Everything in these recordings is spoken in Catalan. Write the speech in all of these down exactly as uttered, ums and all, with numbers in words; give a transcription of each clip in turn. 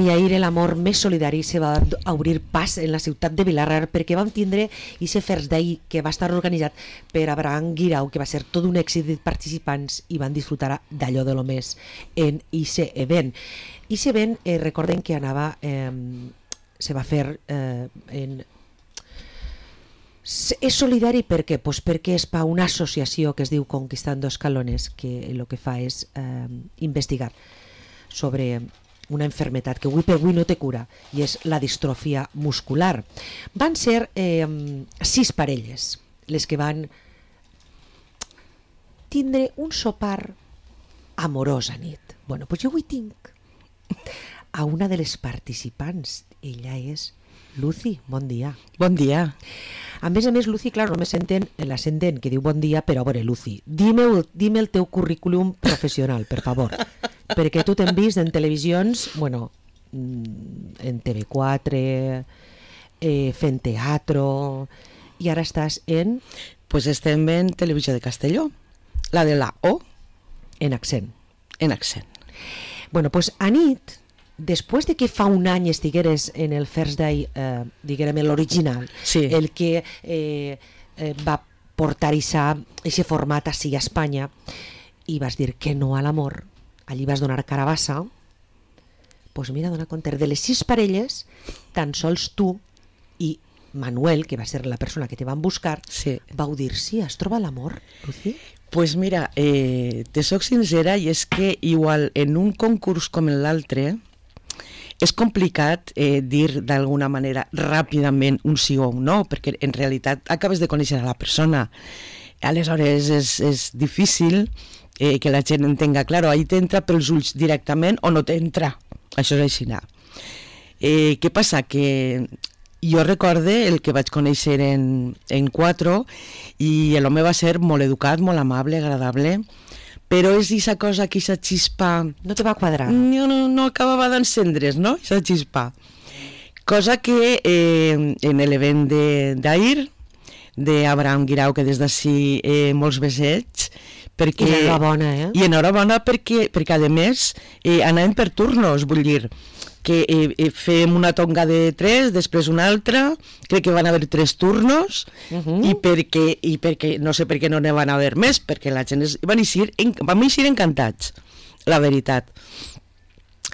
i ahir l'amor més solidari se va obrir pas en la ciutat de Vilarrar perquè vam tindre aquest First Day que va estar organitzat per Abraham Guirao, que va ser tot un èxit de participants i van disfrutar d'allò de lo més en aquest event. Aquest event, eh, recordem que anava, eh, se va fer eh, en... És solidari per què? Pues perquè és per una associació que es diu Conquistando Escalones, que el que fa és eh, investigar sobre una enfermetat que avui per avui no té cura, i és la distròfia muscular. Van ser eh, sis parelles les que van tindre un sopar amorós a nit. Bueno, doncs jo avui tinc a una de les participants. Ella és Lucy, bon dia. Bon dia. A més a més, Lucy, clar, només senten l'ascendent que diu bon dia, però a veure, Lucy, dime, dime el teu currículum professional, per favor, perquè tu t'hem vist en televisions, bueno, en T V quatre, eh, fent teatro, i ara estàs en... Pues estem en Televisió de Castelló, la de la O. En accent. En accent. Bueno, pues a nit, després de que fa un any estigueres en el First Day, eh, diguem l'original, sí. el que eh, eh, va portar aquest format així a Espanya, i vas dir que no a l'amor, allí vas donar carabassa, doncs mira, dona compte, de les sis parelles, tan sols tu i Manuel, que va ser la persona que te van buscar, sí. vau dir, sí, has trobat l'amor, Lucy? Pues mira, eh, te soc sincera, i és que igual en un concurs com l'altre, és complicat eh, dir d'alguna manera ràpidament un sí o un no, perquè en realitat acabes de conèixer a la persona. Aleshores és, és difícil eh, que la gent entenga, claro, ahí t'entra pels ulls directament o no t'entra. Això és així. Eh, què passa? Que jo recorde el que vaig conèixer en, en quatre i l'home va ser molt educat, molt amable, agradable, però és aquesta cosa, que aquesta xispa... No te va quadrar. No, no, no acabava d'encendre's, no?, aquesta xispa. Cosa que eh, en l'event d'ahir, d'Abraham Guirao, que des d'ací eh, molts besets, perquè... I enhorabona, eh? I enhorabona perquè, perquè a més, eh, anàvem per turnos, vull dir, que eh, eh, fem una tonga de tres, després una altra, crec que van haver tres turnos, uh-huh. i, perquè, i perquè, no sé per què no ne van haver més, perquè la gent es, van, eixir, en, van eixir encantats, la veritat.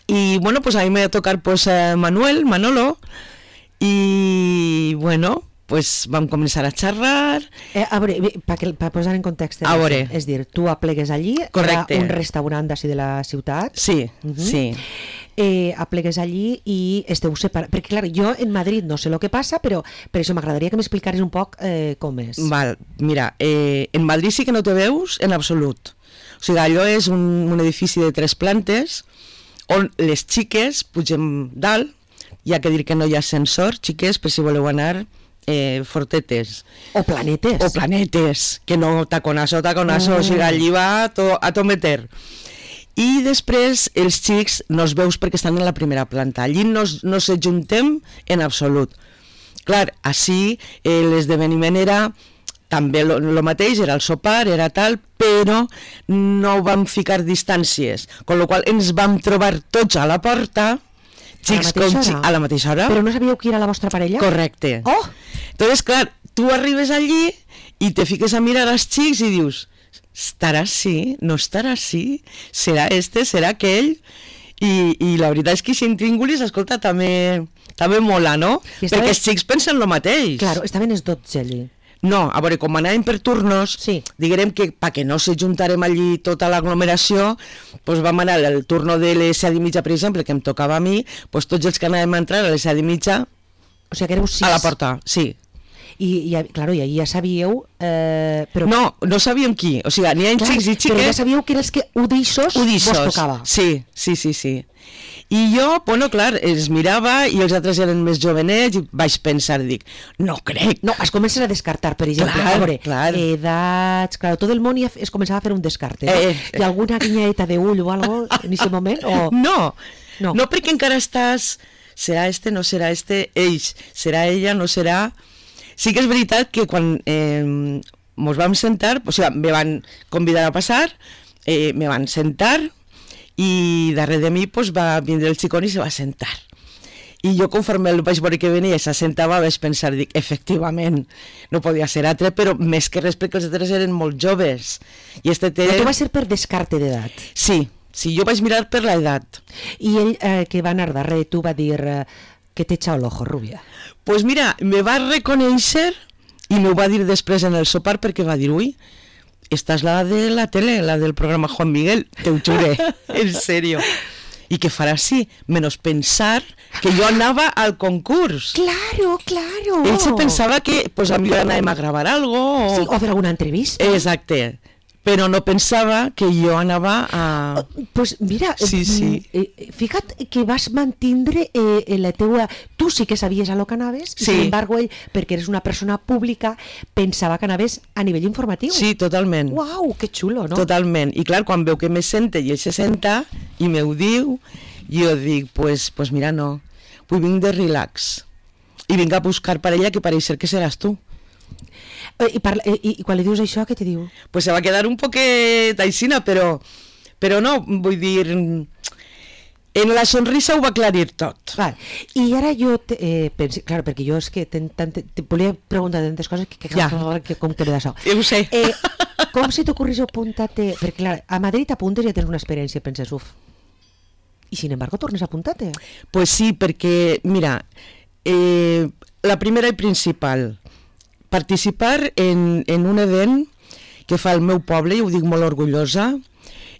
I, bueno, pues a mi me va tocar pues, eh, Manuel, Manolo, i, bueno, pues vam començar a xerrar. Eh, a veure, per posar en context, a veure. És dir, tu aplegues allí, correcte. Era un restaurant d'ací de la ciutat. Sí, uh-huh. sí. Eh, aplegues allí i esteu separats, perquè clar, jo en Madrid no sé el que passa, però per això m'agradaria que m'explicaris un poc eh, com és. Val, mira, eh, en Madrid sí que no te veus en absolut, o sigui, allò és un, un edifici de tres plantes on les xiques pugem dalt, hi ha que dir que no hi ha ascensor, xiques, per si voleu anar eh, fortetes. O planetes. O planetes, que no taconazo, taconazo, mm. o sigui, allí va a to, a to meter. I després els xics no els veus perquè estan en la primera planta, allí no, no s'ajuntem en absolut. Clar, així eh, l'esdeveniment era també el mateix, era el sopar, era tal, però no vam ficar distàncies, amb la qual ens vam trobar tots a la porta, xics com xics, a la mateixa hora. Però no sabíeu qui era la vostra parella? Correcte. Oh! Entonces, clar, tu arribes allí i te fiques a mirar els xics i dius... estarà així, no estarà així, serà este, serà aquell, i, i la veritat és que si intríngulis, escolta, també, també mola, no? Estaven... Perquè els xics pensen el mateix. Claro, estaven els dotze allí. No, a veure, com anàvem per turnos, sí. diguem que perquè no s'ajuntarem allí tota l'aglomeració, doncs vam anar al turno de les set i mitja, per exemple, que em tocava a mi, doncs tots els que anàvem a entrar a les set i mitja, o sigui que éreu sis. A la porta, sí. I, i, claro, i ahir ja sabíeu... Eh, però... No, no sabíem qui, o sigui, n'hi ha clar, xics i xiques... Però ja sabíeu que els que udissos, udissos vos tocava. Sí, sí, sí, sí. I jo, bueno, clar, els mirava i els altres eren més jovenets i vaig pensar, dic, no crec. No, es comences a descartar, per exemple, clar, a veure, clar. edats... Clar, tot el món ja es començava a fer un descarte. Eh, eh. Hi ha alguna guinyaeta d'ull o algo en aquest moment? O... No, no, no, perquè encara estàs... Serà este, no serà este, ells, serà ella, no serà... Sí que és veritat que quan eh, mos vam sentar, o sigui, me van convidar a passar, eh, me van sentar i darrere de mi pues, va vindre el xicón i se va sentar. I jo, conforme el vaig veure que venia i s'assentava, vaig pensar, dic, efectivament, no podia ser altre, però més que res perquè els altres eren molt joves. I este té... Però tu va ser per descarte d'edat? Sí, sí, jo vaig mirar per l'edat. I ell, eh, que va anar darrere tu, va dir eh, que t'he echado el ojo, rubia. Pues mira, me va reconèixer i m'ho va dir després en el sopar perquè va dir, ui, esta és la de la tele, la del programa Juan Miguel, te ho juré, en serio. I que farà així, menys pensar que jo anava al concurs. Claro, claro. Ell se pensava que pues, a mi anàvem a gravar algo. O... Sí, o fer alguna entrevista. Exacte. Però no pensava que jo anava a... Pues mira, sí, sí. Eh, fija't que vas mantindre eh, la teua... Tu sí que sabies a lo que anaves, sí. Sin embargo, ell, perquè eres una persona pública, pensava que anaves a nivell informatiu. Sí, totalment. Uau, que xulo, no? Totalment. I clar, quan veu que me sente i ell se senta i me ho diu, jo dic, pues, pues mira, no, vull vinc de relax. I vinc a buscar per ella que pareix ser que seràs tu. I, parla, i, I quan li dius això, què te diu? Pues se va quedar un poquet aixina, però, però no, vull dir, en la sonrisa ho va aclarir tot. Vale. I ara jo, te, eh, penso, clar, perquè jo és que ten, ten, te, te volia preguntar tantes coses que, que, ja. que com que me d'això. Jo ho sé. Eh, com se t'ocorreix apuntar-te? Perquè clar, a Madrid t'apuntes i ja tens una experiència, penses, uf. I sin embargo tornes a apuntar-te? Pues sí, perquè, mira, eh, la primera i principal, participar en, en un event que fa el meu poble, i ho dic molt orgullosa,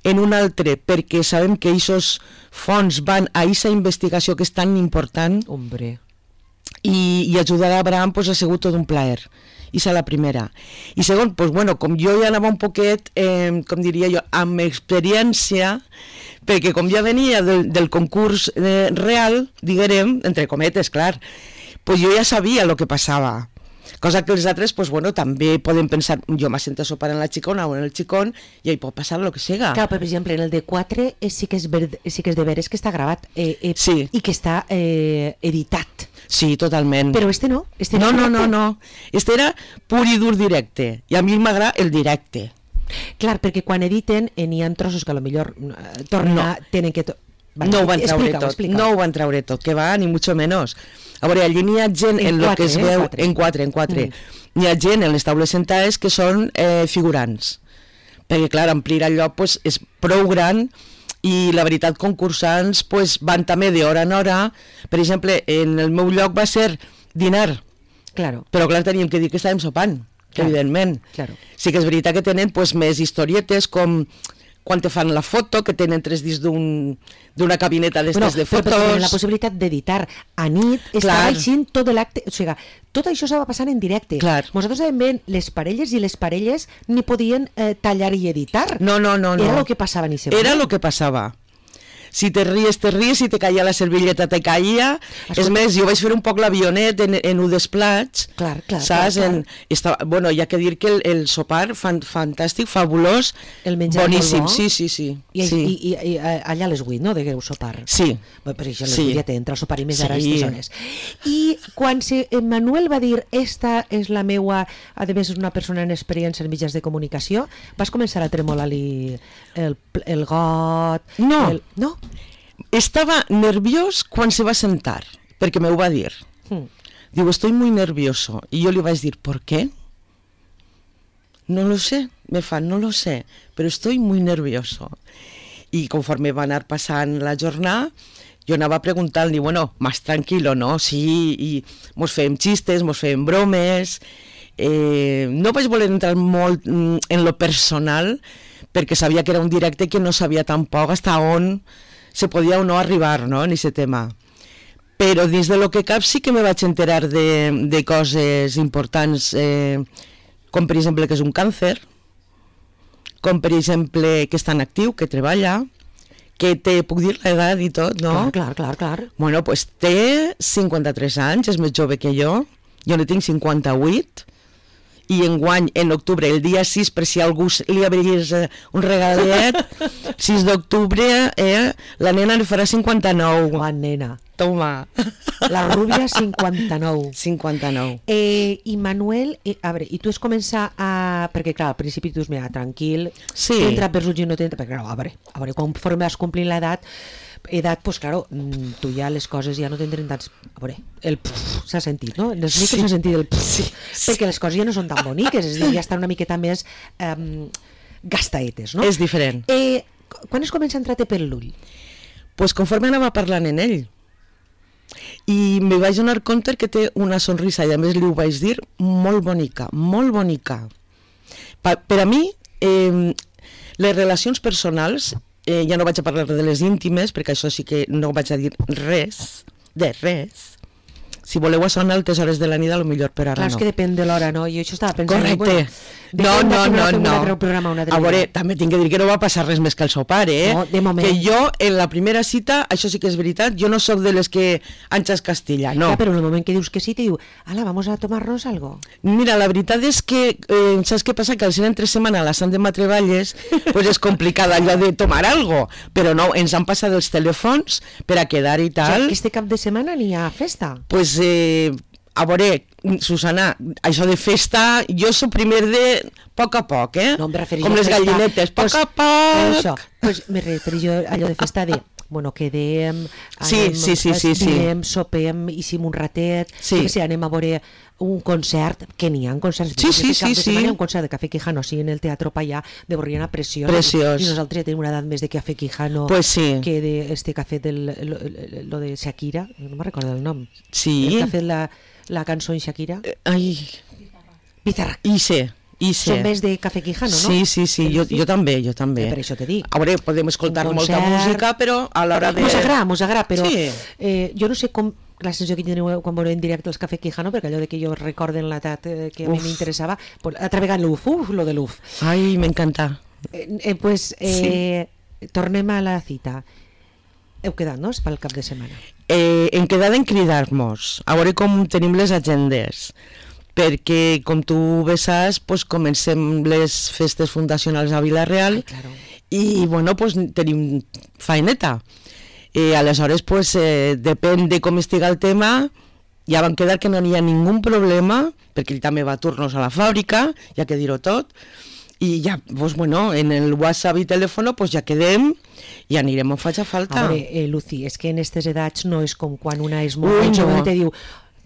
en un altre, perquè sabem que aquests fons van a aquesta investigació que és tan important. Hombre. I, i ajudar a Abraham pues, ha sigut tot un plaer. I és la primera. I segon, pues, bueno, com jo ja anava un poquet, eh, com diria jo, amb experiència, perquè com ja venia del, del concurs eh, real, diguem, entre cometes, clar, pues jo ja sabia el que passava. Cosa que els altres, pues, bueno, també poden pensar, jo m'assento a sopar en la xicona o en el xicón i hi pot passar el que siga. Clar, per exemple, en el de quatre eh, sí, que és ver, sí que és de veres que està gravat eh, eh, sí. I que està eh, editat. Sí, totalment. Però este no. Este no, no, no, no, no. Este era pur i dur directe. I a mi m'agrada el directe. Clar, perquè quan editen eh, n'hi ha trossos que a lo millor eh, tornen no. a... Tenen que... Vale, no ho van traure tot, explica. no ho van traure tot, que va, ni mucho menos. A veure, allí n'hi ha gent en, en lo que es veu, eh? en quatre, en quatre, mm. n'hi ha gent en les taules sentades que són eh, figurants, perquè clar, omplir el lloc pues, és prou gran i la veritat concursants pues, van també d'hora en hora. Per exemple, en el meu lloc va ser dinar, claro. Però clar, teníem que dir que estàvem sopant, claro. Evidentment. Claro. Sí que és veritat que tenen pues, més historietes com quan te fan la foto, que tenen tres dits d'un, d'una cabineta d'estes bueno, de fotos... Però tenen la possibilitat d'editar a nit, estava aixint tot l'acte... O sigui, tot això s'ava passant en directe. Clar. Nosaltres sabem bé, les parelles i les parelles ni podien eh, tallar i editar. No, no, no. Era no. el que passava ni se Era el que passava. Si te ries, te ries, si te caia la servilleta, te caia. Escolta. És més, jo vaig fer un poc l'avionet en, en un desplats. Clar, clar, saps? clar, clar. En, estava, bueno, hi ha que dir que el, el sopar, fan, fantàstic, fabulós, el menjar boníssim, bo. sí, sí, sí. I, sí. I, i, i allà a les vuit, no?, degueu sopar. Sí. Bé, per això a les sí. vuit ja t'entra el sopar i més sí. ara a aquestes zones. I quan se, Manuel va dir, esta és la meua, a més és una persona en experiència en mitjans de comunicació, vas començar a tremolar-li el, el got... No. El, no? Estava nerviós quan se va sentar, perquè me ho va dir. Hmm. Diu, estoy muy nervioso. I jo li vaig dir, ¿por qué? No lo sé, me fa, no lo sé, pero estoy muy nervioso. I conforme va anar passant la jornada, jo anava preguntant-li, bueno, más tranquilo, no? Sí, i mos fèiem xistes, mos fèiem bromes... Eh, no vaig voler entrar molt en lo personal, perquè sabia que era un directe que no sabia tampoc hasta on se podia o no arribar, no?, en aquest tema. Però dins de lo que cap sí que me vaig enterar de, de coses importants, eh, com per exemple que és un càncer, com per exemple que està en actiu, que treballa, que té, puc dir l'edat i tot, no? Clar, clar, clar, clar. Bueno, pues té cinquanta-tres anys, és més jove que jo, jo ne tinc cinquanta-vuit, i enguany, en octubre, el dia sis, per si algú li abriés un regalet, sis d'octubre, eh, la nena li farà cinquanta-nou. Oh, nena. Toma. La rúbia, cinquanta-nou. cinquanta-nou. Eh, I Manuel, eh, a veure, i tu has començat a... Perquè, clar, al principi tu dius, mira, tranquil, Sí. t'entra per ulls i no t'entra, perquè, clar, a veure, a veure, conforme vas complint l'edat, edat, pues claro, mm, tu ja les coses ja no tindrien tants... A veure, el pff s'ha sentit, no? En els micros Sí. s'ha sentit el pff, Sí, sí. perquè les coses ja no són tan boniques, és a dir, ja estan una miqueta més um, gastaetes, no? És diferent. Eh, quan es comença a entrar-te per l'ull? Pues conforme anava parlant en ell. I me vaig donar compte que té una sonrisa, i a més li ho vaig dir, molt bonica, molt bonica. Pa, per a mi, eh, les relacions personals, eh, ja no vaig a parlar de les íntimes, perquè això sí que no vaig a dir res, de res. Si voleu a sonar a altes hores de la nit, a lo millor, però ara Clar, no. és que depèn de l'hora, no? Jo això estava pensant... Correcte. Bueno, No, depèn de no, que no, fem un no. altre programa, un altre A veure, dia. també tinc que dir que no va passar res més que el sopar, eh? No, de moment. Que jo, en la primera cita, això sí que és veritat, jo no sóc de les que anxes Castilla, no. Ja, però en el moment que dius que sí, te diu, ala, vamos a tomarnos algo. Mira, la veritat és que, eh, saps què passa? Que al ser entre setmana a la Sant de Matreballes, pues és complicat allò de tomar algo, però no, ens han passat els telèfons per a quedar i O sigui, tal. aquest cap de setmana n'hi ha festa. Pues, eh, a veure, Susana, això de festa, jo soc primer de poc a poc, eh? No, em referia Com a les festa, gallinetes, poc pues, a poc. Això, pues, me referia a allò de festa de, bueno, quedem, Sí, anem, sí, sí, sí, sí. dinem, sopem, hicim un ratet, Sí. jo que sé, anem a veure un concert, que n'hi ha concerts, Sí, sí, aquest cap sí, de sí. setmana hi ha un concert de Café Quijano, sí, en el Teatro Payà de Borriana, preciós. Preciós. I nosaltres ja tenim una edat més de Café Quijano Pues sí. que de este café del, lo, lo de Shakira, no me recordo el nom. Sí. El que ha fet la, la cançó en Shakira. Eh, Ai, Pizarra. i sé, i sé. Són més de Café Quijano, no? Sí, sí, sí, jo, jo també, jo també. Eh, per això te dic. A veure, podem escoltar Un molta concert. música, però a l'hora de... Mos agrada, mos agrada, però Sí. eh, jo no sé com la sensació que teniu quan veureu en directe els Café Quijano, perquè allò de que jo recorden l'edat eh, que a mi Uf. m'interessava, pues, altra vegada l'U F, uf, lo de l'U F. Ai, m'encanta. Eh, eh, pues, eh, sí. Tornem a la cita. Heu quedat, no?, pel cap de setmana. Eh, en quedat en cridar-nos, a veure com tenim les agendes, perquè, com tu bé saps, pues, comencem les festes fundacionals a Vila-real. Ai, claro. I, bueno, pues, tenim faeneta. Eh, aleshores, pues, eh, depèn de com estiga el tema, ja vam quedar que no n'hi ha ningú problema, perquè ell també va a turnos a la fàbrica, ja que dir-ho tot, i ja, pues, bueno, en el WhatsApp i telèfon, pues, ja quedem i anirem on faci falta. A veure, eh, Lucy, és que en aquestes edats no és com quan una és Ui, molt jove no. i te diu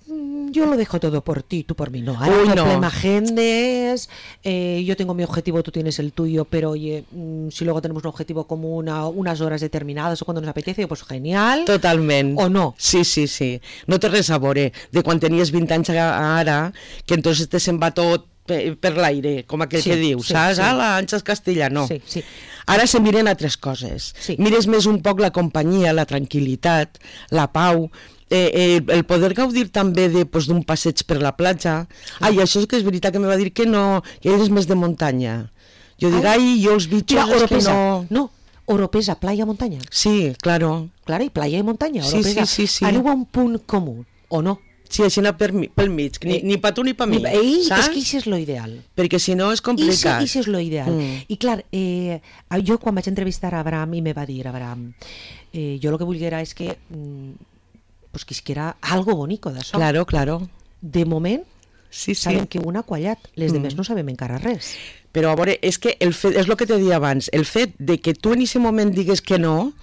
"Mm, yo lo dejo todo por ti, tú por mí no. Ahora Uy, no. problema agendes, eh, yo tengo mi objetivo, tú tienes el tuyo, pero oye, mm, si luego tenemos un objetivo común a unas horas determinadas o cuando nos apetece, pues genial. Totalment. O no? Sí, sí, sí. No té res a veure de quan tenies vint anys a ara, que entonces te se'n va tot per, per l'aire, com aquell Sí, que diu, sí, saps? sí. Ah, la Anxes Castilla, no. Sí, sí. Ara se miren altres coses. Sí. Mires més un poc la companyia, la tranquil·litat, la pau, eh, eh, el poder gaudir també de, pues, d'un passeig per la platja. Ai, això és que és veritat que me va dir que no, que ell és més de muntanya. Jo dic, Ai. ai, jo els bitxos Mira, és que Oropesa, no... no, Oropesa, playa, montaña. Sí, claro. Claro, i playa i muntanya, Sí, Oropesa. sí, sí, sí. Aneu a un punt comú, o no? Sí, així anar per, mi- pel mig, ni, Eh, ni pa tu ni pa mi, Ei, saps? és que això és lo ideal. Perquè si no és complicat. I això és lo ideal. Mm. I clar, eh, jo quan vaig entrevistar a Abraham i me va dir, Abraham, eh, jo el que volguera és que mm, pues quisquera algo bonico d'això. Claro, claro. De moment, Sí, sí. sabem que una ha quallat, les Mm. demés no sabem encara res. Però a veure, és que el fet, és el que te deia abans, el fet de que tu en aquest moment digues que no,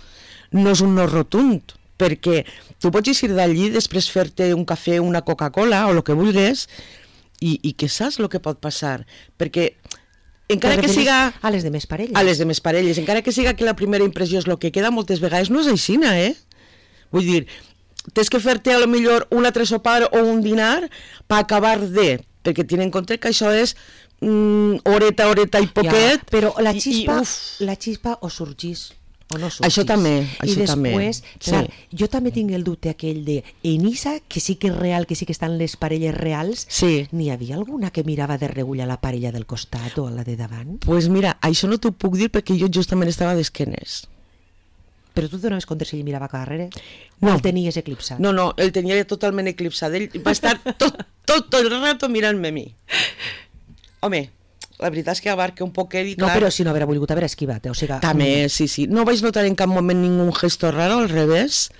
no és un no rotund, perquè tu pots eixir d'allí, després fer-te un cafè, una Coca-Cola o el que vulguis, i, i que saps el que pot passar, perquè encara Te que referis siga a les demés parelles. a les demés parelles, encara que siga que la primera impressió és el que queda, moltes vegades no és aixina, eh? Vull dir, tens que fer-te a lo millor un altre sopar o un dinar per acabar de, perquè tiene en compte que això és mm, horeta, horeta i poquet. Ja, però la i- xispa, i, uf, la xispa o sorgís o no sorgís. Això també, I això també, després, sí. clar, jo també tinc el dubte aquell de en Isa, que sí que és real, que sí que estan les parelles reals, sí. n'hi havia alguna que mirava de regular a la parella del costat o a la de davant? Pues mira, això no t'ho puc dir perquè jo justament estava d'esquenes. Però tu et donaves compte si ell mirava cap darrere? No. O el tenies eclipsat? No, no, el tenia totalment eclipsat. Ell va estar tot, tot, tot el rato mirant-me a mi. Home, la veritat és que abarca un poquet i No, clar... però si no haver volgut haver esquivat, eh? O sigui, També, sí, sí. No vaig notar en cap moment ningú gesto raro, al revés.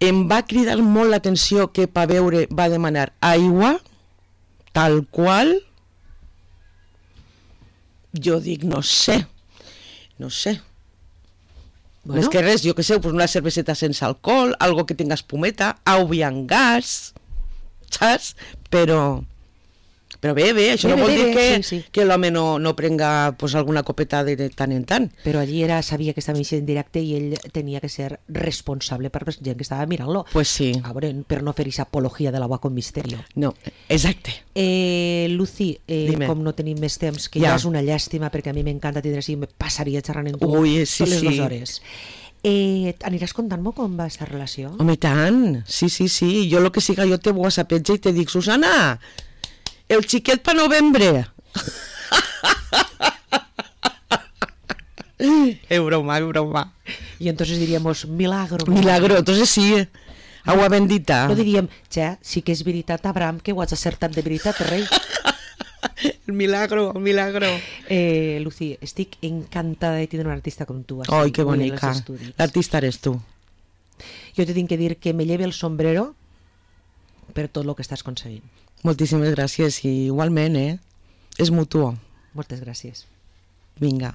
em va cridar molt l'atenció que per veure va demanar aigua, tal qual. Jo dic, no sé, no sé. Bueno. És que res, jo que sé, pues una cerveseta sense alcohol, algo que tinga espumeta, aigua amb gas, saps? Però... Però bé, bé, això bé, no vol bé, dir bé, que, sí, sí. que l'home no, no prenga pues, alguna copeta de tant en tant. Però allí era, sabia que estava en directe i ell tenia que ser responsable per la gent que estava mirant-lo. Pues sí. A veure, per no fer aquesta apologia de l'agua con misterio. No, exacte. Eh, Lucy, eh, Dime. com no tenim més temps, que Ja. ja és una llàstima, perquè a mi m'encanta tindre així, me passaria xerrant amb tu Ui, sí, totes les sí. dues hores. Eh, aniràs contant-me com va aquesta relació? Home, i tant, sí, sí, sí. Jo lo que siga, jo te whatsappeja i te dic, Susana, el xiquet pa novembre. Es broma, es broma. Y entonces diríamos, milagro. Milagro, entonces sí, agua bendita. No diríem, ja, sí que és veritat, Abraham, que ho has acertat de veritat, rei. El milagro, el milagro. Eh, Lucy, estic encantada de tindre un artista com tu. Així, Ai, que avui en bonica. els estudis. L'artista eres tu. Jo te tinc que dir que me lleve el sombrero per tot el que estàs aconseguint. Moltíssimes gràcies i igualment, eh? És mutuo. Moltes gràcies. Vinga.